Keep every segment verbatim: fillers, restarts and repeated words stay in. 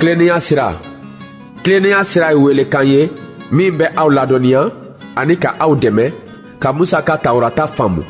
Tilennenya sira. Tilennenya sira ye welekan ye min bɛ aw ladɔnniya ani ka aw dɛmɛ ka Musa ka Tawurata faamu,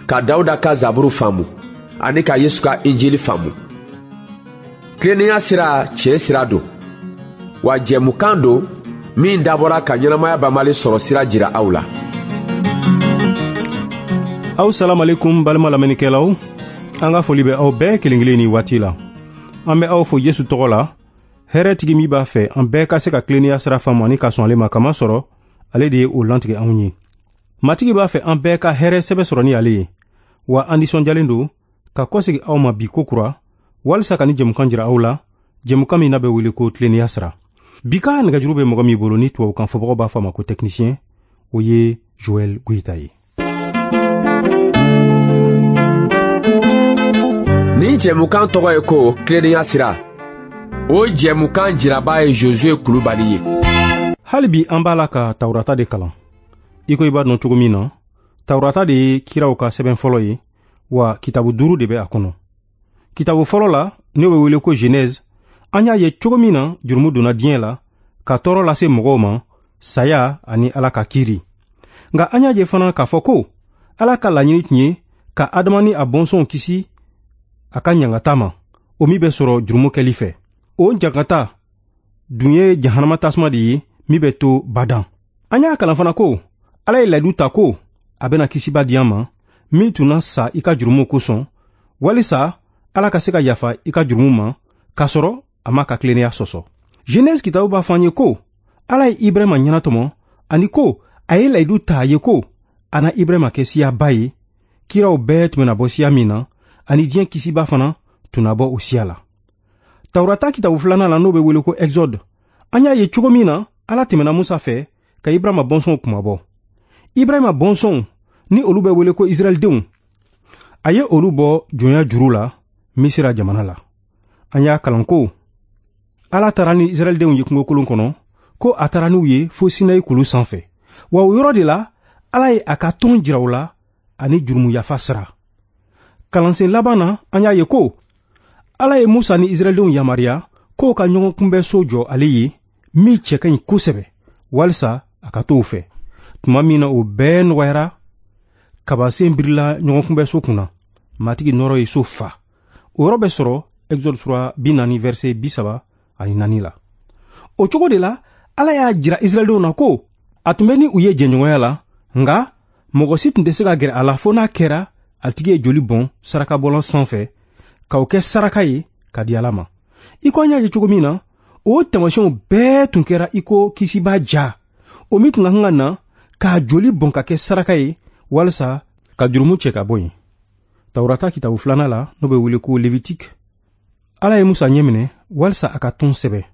ka Dawuda ka Zaburu faamu ani ka Yesu ka Injili faamu. Tilennenya sira tiɲɛ sira don, wa jɛmukan don min dabɔra ka ɲɛnamaya banbali sɔrɔ sira jira aw la. Aw salamalekum balima lamɛnnikɛlaw, an ka foli bɛ aw bɛɛ kelen kelen ni waati la. An bɛ aw fo Yesu tɔgɔ la, hɛrɛ tigi min b'a fɛ an bɛɛ ka se ka tilennenya sira faamu ani ka sɔn ale ma, kamasɔrɔ ale de ye o lantigɛ anw ye. Matigi b'a fɛ an bɛɛ ka hɛrɛ sɛbɛ sɔrɔ ni ale ye, wa an nisɔndiyalen don ka kɔsegi aw ma bi kokura walisa ka ni jɛmukan jira aw la, jɛmukan min n'a bɛ wele ko tilennenya sira. Bi ka nɛgɛjuru bɛ mɔgɔ min bolo ni tubabukan fɔbagaw b'a fɔ a ma ko technicien, o ye Joël Goïta ye. Nin jɛmukan tɔgɔ ye ko tilennenya sira. O jɛmukan jiraba ye Josué Kulubali ye. Hali bi an b'a la ka Tawurata de kalan. I ko i b'a dɔn cogo min na, Tawurata de ye kiraw ka sɛbɛn fɔlɔ ye, wa kitabu duuru de bɛ a kɔnɔ. Kitabu fɔlɔ la, n'o bɛ wele ko Genèse, an y'a ye cogo min na jurumu donna diɲɛ la ka tɔɔrɔ lase mɔgɔw ma, saya ani Ala ka kiiri. Nka an y'a ye fana k'a fɔ ko Ala ka laɲini tun ye ka Adama ni a bɔnsɔnw kisi a ka ɲangata ma, o min bɛ sɔrɔ jurumu kɛli fɛ. O ɲangata dun ye jahanama tasuma de ye min bɛ to badan. An y'a kalan fana ko Ala ye layidu ta ko a bɛna kisiba di an ma min tun na sa i ka jurumu kosɔn, walisa Ala ka se ka yafa i ka jurumu ma k'a sɔrɔ a ma ka tilennenya sɔsɔ. Genèse kitabu b'a fɔ an ye ko Ala ye Ibrahima ɲɛnatɔmɔ ani ko a ye layidu ta a ye ko a na Ibrahima kɛ siyaba ye, kiraw bɛɛ tun bɛna bɔ siya min na, ani diɲɛ kisiba fana tun na bɔ o siya la. Tawurata kitabu filanan la, n'o bɛ wele ko Exode, an y'a ye cogo min na Ala tɛmɛna Musa fɛ ka Ibrahima bɔnsɔnw kunmabɔ. Ibrahima bɔnsɔnw ni olu bɛ wele ko Israɛldenw, a ye olu bɔ jɔnya juru la Misira jamana la. An y'a kalan ko Ala taara ni Israɛldenw ye kungokolon kɔnɔ, ko a taara n'u ye fo Sinayi kulu sanfɛ. Wa o yɔrɔ de la, Ala ye a ka tɔn jira u la ani jurumu yafa sira. Kalansen laban na, an y'a ye ko Ala ye Musa ni Israɛldenw yamaruya k'o ka ɲɔgɔn kunbɛnso jɔ ale ye min cɛ ka ɲi kosɛbɛ, walisa a ka t'o fɛ. Tuma min na o bɛɛ nɔgɔyara, kabasen birila ɲɔgɔn kunbɛnso kunna, Matigi nɔrɔ ye so fa. O yɔrɔ bɛ sɔrɔ Exode sura bi naani verset bi saba ani naani la. O cogo de la, Ala y'a jira Israɛldenw na ko a tun bɛ ni u ye jɛɲɔgɔnya la, nka mɔgɔ si tun tɛ se ka gɛrɛ a la fo n'a kɛra a tigi ye joli bɔn sarakabɔlan sanfɛ k'o kɛ saraka ye ka di Ala ma. I ko an y'a ye cogo min na, o taamasiyɛnw bɛɛ tun kɛra i ko kisiba ja, o min tun ka kan ka na k'a joli bɔn ka kɛ saraka ye walisa ka jurumu cɛ ka bɔ yen. Tawurata kitabu filanan la, n'o bɛ wele ko Lévitique, Ala ye Musa ɲɛminɛ walisa a ka tɔn sɛbɛn.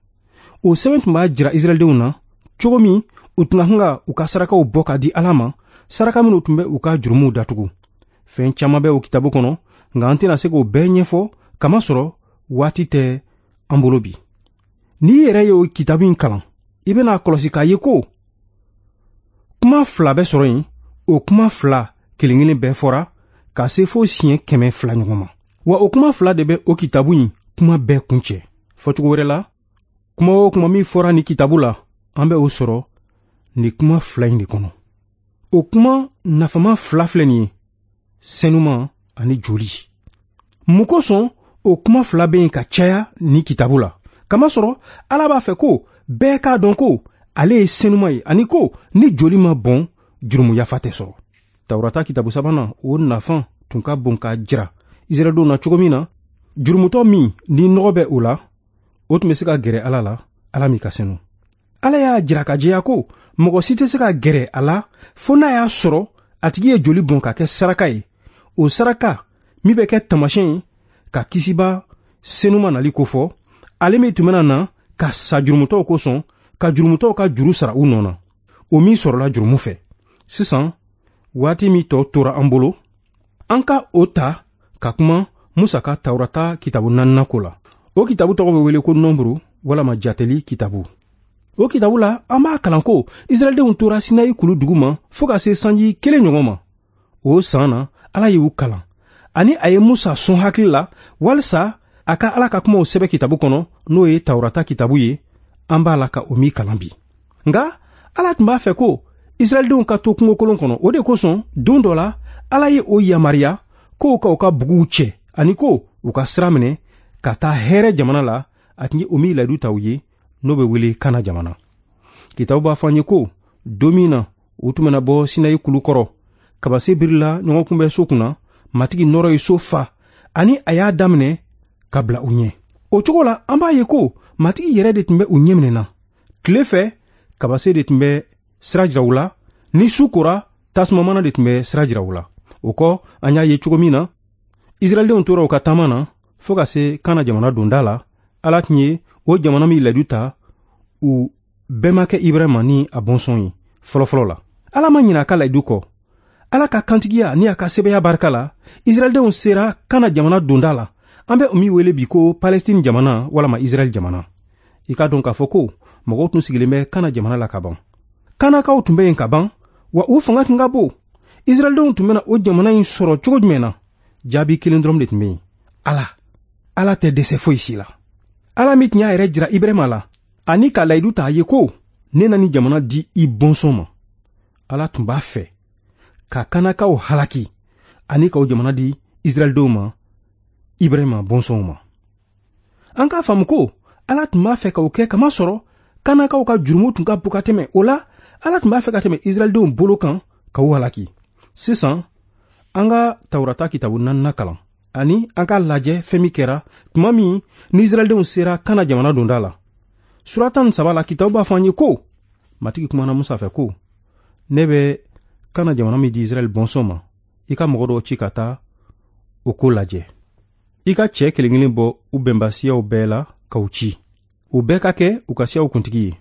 O sɛbɛn tun b'a jira Israɛldenw na cogo min u tun ka kan ka u ka sarakaw bɔ ka di Ala ma, saraka minnu tun bɛ u ka jurumuw datugu. Fɛn caman bɛ o kitabu kɔnɔ, nka an tɛna se k'o bɛɛ ɲɛfɔ kamasɔrɔ waati tɛ an bolo bi. N'i yɛrɛ ye o kitabu in kalan, i bɛna kɔlɔsi k'a ye ko kuma fila bɛ sɔrɔ yen, o kuma fila kelen kelen bɛɛ fɔra ka se fo siɲɛ kɛmɛ fila ɲɔgɔn ma. Wa o kuma fila de bɛ o kitabu in kuma bɛɛ kuncɛ. Fɔcogo wɛrɛ la, kuma o kuma min fɔra nin kitabu la, an bɛ o sɔrɔ nin kuma fila in de kɔnɔ. O kuma nafama fila filɛ nin ye, sɛnuma ani joli. Mun kosɔn o kuma fila bɛ yen ka caya nin kitabu la? Kamasɔrɔ Ala b'a fɛ ko bɛɛ k'a dɔn ko ale ye sɛnuma ye, ani ko ni joli ma bɔn, jurumu yafa tɛ sɔrɔ. Tawurata kitabu sabanan, o nafa tun ka bon k'a jira Israɛldenw na cogo min na, jurumutɔ min ni nɔgɔ bɛ o la, o tun bɛ se ka gɛrɛ Ala la, Ala min ka senu. Ala y'a jira ka jɛya ko mɔgɔ si tɛ se ka gɛrɛ a la fo n'a y'a sɔrɔ a tigi ye joli bɔn ka kɛ saraka ye. O saraka min bɛ kɛ taamasiyɛn ye ka kisiba senuma nali kofɔ, ale min tun bɛna na ka sa jurumutɔw kosɔn, ka jurumutɔw ka juru sara u nɔ na, o min sɔrɔla jurumu fɛ. Sisan, waati min tɔ tora an bolo, an ka o ta ka kuma Musa ka Tawurata kitabu naaninan ko la. O kitabu tɔgɔ bɛ wele ko Nɔnburu walama Jateli kitabu. O kitabu la, an b'a kalan ko Israɛldenw tora Sinayi kulu dugu ma fo ka se sanji kelen ɲɔgɔn ma. O san na, Ala y'u kalan ani a ye Musa sɔn hakili la walisa a ka Ala ka kumaw sɛbɛn kitabu kɔnɔ, n'o ye Tawurata kitabu ye, an b'a la ka o min kalan bi. Nka Ala tun b'a fɛ ko Israɛldenw ka to kungokolon kɔnɔ. O de kosɔn don dɔ la Ala ye o yamaruya k'o ka u ka buguw cɛ ani ko u ka sira minɛ ka taa hɛrɛ jamana la, a tun ye o min layidu ta u ye, n'o bɛ wele Kana jamana. Kitabu b'a fɔ an ye ko don min na u tun bɛna bɔ Sinayi kulu kɔrɔ, kabase birila ɲɔgɔn kunbɛn so kunna, Matigi nɔrɔ ye so fa ani a y'a daminɛ ka bila u ɲɛ. O cogo la an b'a ye ko Matigi yɛrɛ de tun bɛ u ɲɛminɛ na. Tile fɛ kabase de tun bɛ sira jira u la, ni su kora tasumamana de tun bɛ sira jira u la. O kɔ an y'a ye cogo min na Israɛldenw tora u ka taama na fo ka se Kana jamana donda la. Ala tun ye o jamana min layidu ta u bɛnbakɛ Ibrahima ni a bɔnsɔn ye fɔlɔfɔlɔ la. Ala ma ɲinɛ a ka layidu kɔ. Ala ka kantigiya ni a ka sɛbɛya barika la, Israɛldenw sera Kana jamana donda la. An bɛ o min wele bi ko Palestine jamana walama Israɛl jamana. I k'a dɔn k'a fɔ ko mɔgɔw tun sigilen bɛ Kana jamana la ka ban. Kanakaw tun bɛ yen ka ban, wa u fanga tun ka bon. Israɛldenw tun bɛna o jamana in sɔrɔ cogo jumɛn na? Jaabi kelen dɔrɔn de tun bɛ yen: Ala. Ala tɛ dɛsɛ foyi si la. Ala min tun y'a yɛrɛ jira Ibrahima la ani ka layidu ta a ye ko ne na nin jamana di i bɔnsɔn ma. Ala tun b'a fɛ ka Kanakaw halaki ani k'o jamana di Israɛldenw ma, Ibrahima bɔnsɔnw ma. An k'a faamu ko Ala tun b'a fɛ k'o kɛ kamasɔrɔ Kanakaw ka jurumu tun ka bon ka tɛmɛ. O la Ala tun b'a fɛ ka tɛmɛ Israɛldenw bolo kan ka u halaki. Sisan an ka Tawurata kitabu naaninan kalan ani an k'a lajɛ fɛn min kɛra tuma min ni Israɛldenw sera Kana jamana donda la. Sura tan ni saba la, kitabu b'a fɔ an ye ko Matigi kumana Musa fɛ ko ne bɛ Kana jamana min di Israɛl bɔnsɔn ma, i ka mɔgɔ dɔw ci ka taa o ko lajɛ. I ka cɛ kelen kelen bɔ u bɛnbasiyaw bɛɛ la k'u ci. U bɛɛ ka kɛ u ka siyaw kuntigi ye.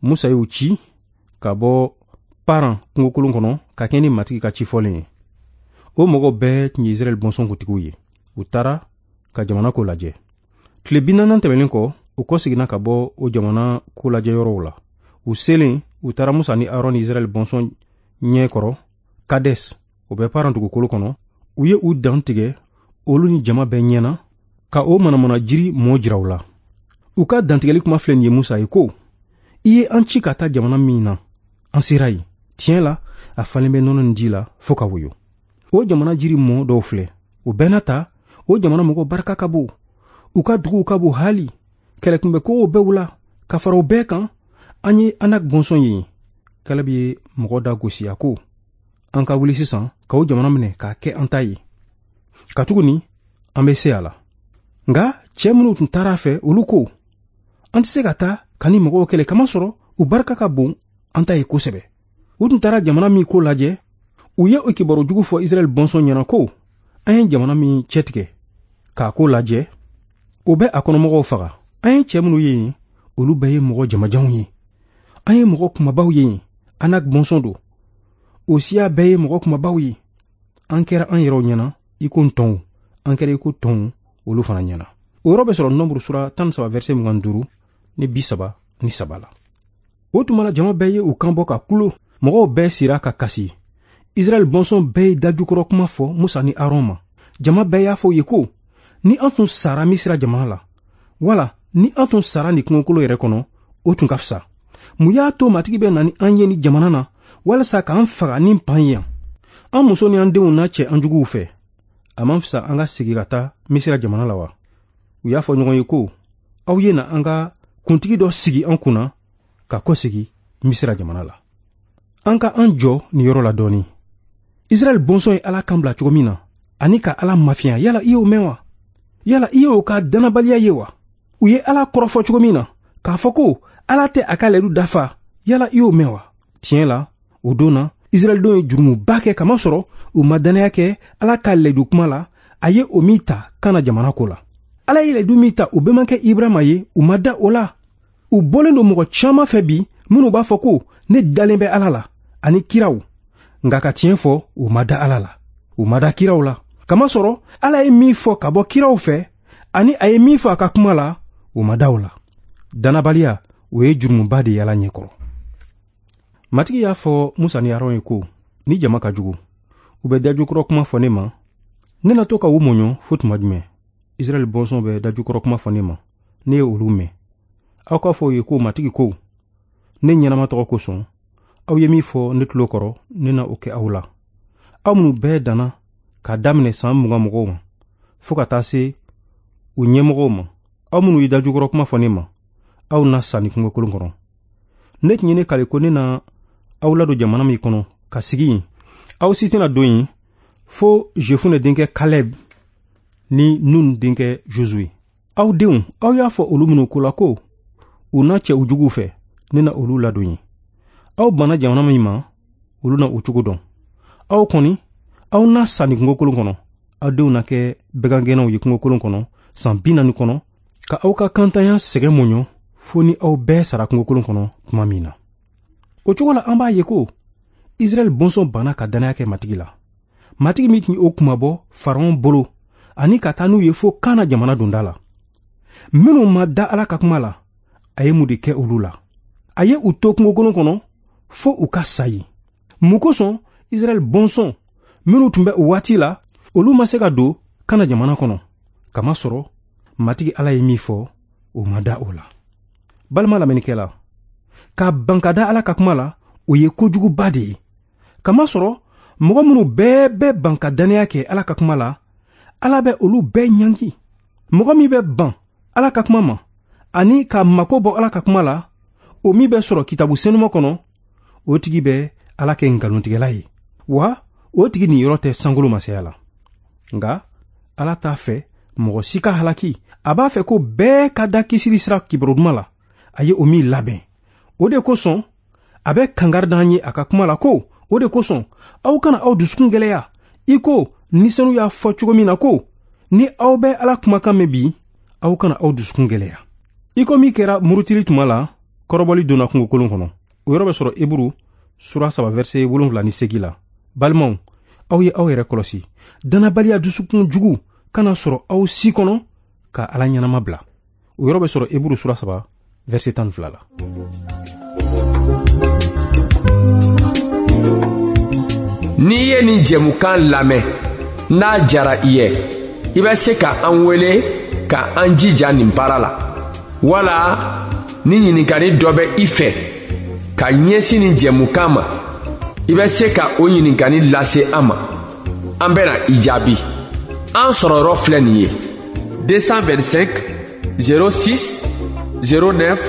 Musa y'u ci ka bɔ Paran kungokolon kɔnɔ ka kɛ ni Matigi ka ci fɔlen ye. O mɔgɔw bɛɛ tun ye Israɛl bɔnsɔn kuntigiw ye. U taara ka jamana ko lajɛ. Tile bi naani tɛmɛnen kɔ, u kɔseginna ka bɔ o jamana ko lajɛ yɔrɔw la. U selen, u taara Musa ni Aron ni Israɛl bɔnsɔn ɲɛ kɔrɔ Kades, o bɛ Paran dugukolo kɔnɔ. U ye u dan tigɛ olu ni jama bɛɛ ɲɛna ka o manamana jiri mɔ jira u la. U ka dantigɛli kuma filɛ nin ye Musa ye ko i ye an ci ka taa jamana min na, an sera yen. Tiɲɛ la, a falen bɛ nɔnɔ ni ji la fo ka woyo. O jamana jiri mɔ dɔw filɛ. O bɛɛ n'a ta, o jamana mɔgɔw barika ka bon. U ka duguw ka bon hali. Kɛlɛkunbɛkow bɛɛ u la. Ka fara o bɛɛ kan, an ye Anak bɔnsɔn ye. Kaleb ye mɔgɔ da gosi a ko an ka wuli sisan ka o jamana minɛ k'a kɛ an ta ye, katuguni an bɛ se a la. Nka cɛ minnu tun taara a fɛ, olu ko an tɛ se ka taa ka ni mɔgɔw kɛlɛ, kamasɔrɔ u barika ka bon an ta ye kosɛbɛ. U tun taara jamana min ko lajɛ, u ye o kibaru jugu fɔ Israɛl bɔnsɔn ɲɛna ko an ye jamana min cɛtigɛ k'a ko lajɛ, o bɛ a kɔnɔmɔgɔw faga. An ye cɛ minnu ye yen, olu bɛɛ ye mɔgɔ jamajanw ye. An ye mɔgɔ kumabaw ye yen, Anak bɔnsɔn don. O siya bɛɛ ye mɔgɔ kumabaw ye. An kɛra an yɛrɛw ɲɛna i ko ntɔnw, an kɛra i ko tɔnw olu fana ɲɛna. O yɔrɔ bɛ sɔrɔ Nombre sura tan ni saba verset mugan duuru ni bi saba ni saba la. O tuma la jama bɛɛ ye u kan bɔ ka kulo. Mɔgɔw bɛɛ sira ka kasi. Israɛl bɔnsɔn bɛɛ ye dajukɔrɔ kuma fɔ Musa ni Aron ma. Jama bɛɛ y'a fɔ u ye ko ni an tun sara Misira jamana la, wala ni an tun sara nin kungokolo yɛrɛ kɔnɔ, o tun ka fisa. Mun y'a to Matigi bɛ na ni an ye ni jamana na walasa k'an faga ni pan ye yan? An muso ni an denw n'a cɛ an juguw fɛ. A man fisa an ka segin ka taa Misira jamana la wa? U y'a fɔ ɲɔgɔn ye ko aw ye na an ka kuntigi dɔ sigi an kunna ka kɔsegin Misira jamana la. An ka an jɔ nin yɔrɔ la dɔɔni. Israɛl bɔnsɔn ye Ala kan bila cogo min na ani ka Ala mafiya, yala i y'o mɛn wa? Yala i y'o ka dannabaliya ye wa? U ye Ala kɔrɔfɔ cogo min na k'a fɔ ko Ala tɛ a ka layidu dafa, yala i y'o mɛn wa? Tiɲɛ la, o don na Israɛldenw ye jurumuba kɛ, kamasɔrɔ u ma dannaya kɛ Ala ka layidu kuma la, a ye o min ta Kana jamana ko la. Ala ye layidu min ta u bɛnbakɛ Ibrahima ye, u ma da o la. U bɔlen don mɔgɔ caman fɛ bi minnu b'a fɔ ko ne dalen bɛ Ala la ani kiraw, nka ka tiɲɛ fɔ, u ma da Ala la, u ma da kiraw la. Kamasɔrɔ Ala ye min fɔ ka bɔ kiraw fɛ ani a ye min fɔ a ka kuma la, u ma da o la. Dannabaliya, o ye jurumuba de ye Ala ɲɛkɔrɔ. Matigi y'a fɔ Musa ni Aron ye ko ni jama ka jugu, u bɛ dajukɔrɔ kuma fɔ ne ma, ne na to ka u mɔɲɔ fo tuma jumɛn? Israɛl bɔnsɔn bɛ dajukɔrɔ kuma fɔ ne ma, ne ye olu mɛn. Aw k'a fɔ u ye ko Matigi ko, ne ɲɛnama tɔgɔ kosɔn, aw ye min fɔ ne tulo kɔrɔ, ne na o kɛ aw la. Aw minnu bɛɛ danna k'a daminɛ san mugan mɔgɔw ma, fo ka taa se u ɲɛmɔgɔw ma, aw minnu ye dajukɔrɔ kuma fɔ ne ma, aw na sa ni kungokolon kɔnɔ. Ne tun ye ne kale ko ne na aw ladon jamana min kɔnɔ ka sigi yen, aw si tɛna don yen fo Jefune denkɛ Kalɛb ni Nun denkɛ Josue. Aw denw, aw y'a fɔ olu minnu ko la ko u na cɛ u juguw fɛ, ne na olu ladon yen. Aw banna jamana min ma, olu na o cogo dɔn. Aw kɔni, aw na sa nin kungokolon kɔnɔ. Aw denw na kɛ bagangɛnnaw ye kungokolon kɔnɔ san bi naani kɔnɔ, ka aw ka kantanya sɛgɛn mɔɲɔ fo ni aw bɛɛ sara kungokolon kɔnɔ tuma min na. O cogo la, an b'a ye ko Israɛl bɔnsɔn banna ka dannaya kɛ Matigi la. Matigi min tun ye o kunmabɔ Faraon bolo ani ka taa n'u ye fo Kana jamana donda la. Minnu ma da Ala ka kuma la, a ye mun de kɛ olu la? A ye u to kungokolon kɔnɔ fo u ka sa yen. Mun kosɔn Israɛl bɔnsɔn minnu tun bɛ o waati la, olu ma se ka don Kana jamana kɔnɔ? Kamasɔrɔ Matigi Ala ye min fɔ, o ma da o la. Balima lamɛnnikɛla, ka ban ka da Ala ka kuma la, o ye kojuguba de ye. Kamasɔrɔ mɔgɔ minnu bɛɛ bɛ ban ka dannaya kɛ Ala ka kuma la, Ala bɛ olu bɛɛ ɲangi. Mɔgɔ min bɛ ban Ala ka kuma ma ani ka mako bɔ Ala ka kuma la, o min bɛ sɔrɔ kitabu senuma kɔnɔ, o tigi bɛ Ala kɛ nkalontigɛla ye, wa o tigi niyɔrɔ tɛ sankolo masaya la. Nka Ala t'a fɛ mɔgɔ si ka halaki. A b'a fɛ ko bɛɛ ka da kisili sira kibaru duman la, a ye o min labɛn. O de kosɔn a bɛ kangari d'an ye a ka kuma la ko, o de kosɔn aw kana aw dusukun gɛlɛya, i ko ni senu y'a fɔ cogo min na ko, ni aw bɛ Ala kumakan mɛn bi, aw kana aw dusukun gɛlɛya. I ko min kɛra murutili tuma la, kɔrɔbɔli donna kungokolon kɔnɔ. O yɔrɔ bɛ sɔrɔ Eburu sura saba verset wolonwula ni seegin la. Balimaw, aw ye aw yɛrɛ kɔlɔsi, dannabaliya dusukun jugu kana sɔrɔ aw si kɔnɔ ka Ala ɲɛnama bila. O yɔrɔ bɛ sɔrɔ Eburu sura saba verset tan ni fila la. N'i ye nin jɛmukan lamɛn, n'a jara i ye, i bɛ se ka an wele ka an jija nin baara la. Wala ni ɲininkali dɔ bɛ i fɛ ka ɲɛsin nin jɛmukan ma, i bɛ se ka o ɲininkali lase an ma. An bɛna i jaabi. An sɔrɔyɔrɔ filɛ nin ye: deux cent vingt-cinq zéro six zéro neuf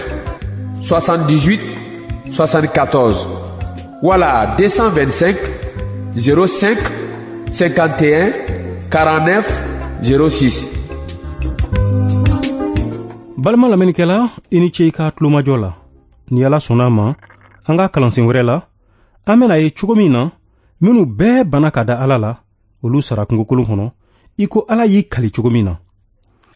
soixante-dix-huit soixante-quatorze wala deux cent vingt-cinq zéro cinq cinquante et un quarante-neuf zéro six. Balima lamɛnnikɛla, i ni ce i ka tulomajɔ la. Ni Ala sɔnna a ma, an ka kalansen wɛrɛ la, an bɛna ye cogo min na minnu bɛɛ banna ka da Ala la, olu sara kungokolon kɔnɔ, i ko Ala y'i kali cogo min na.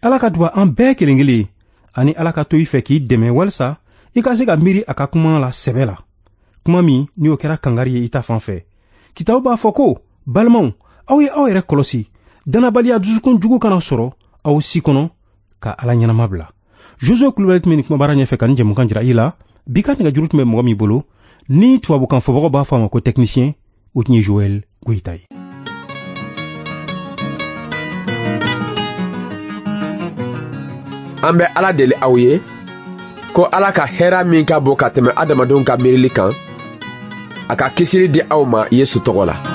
Ala ka duba an bɛɛ kelen kelen ye, ani Ala ka to i fɛ k'i dɛmɛ walisa i ka se ka miiri a ka kuma la sɛbɛ la. Kuma min ni o kɛra kangari ye i ta fan fɛ. Kitabu b'a fɔ ko, balimaw, aw ye aw yɛrɛ kɔlɔsi, dannabaliya dusukun jugu kana sɔrɔ aw si kɔnɔ ka Ala ɲɛnama bila. Josue Kulubali tun bɛ nin kumabara ɲɛfɛ ka nin jɛmukan jira i la. Bi ka nɛgɛjuru tun bɛ mɔgɔ min bolo, ni tubabukan fɔbagaw b'a fɔ a ma ko technicien, o tun ye Joël Goyita ye. An bɛ Ala deli aw ye ko Ala ka hɛrɛ min ka bon ka tɛmɛ adamadenw ka miirili kan, a ka kisili di aw ma Yesu tɔgɔ la.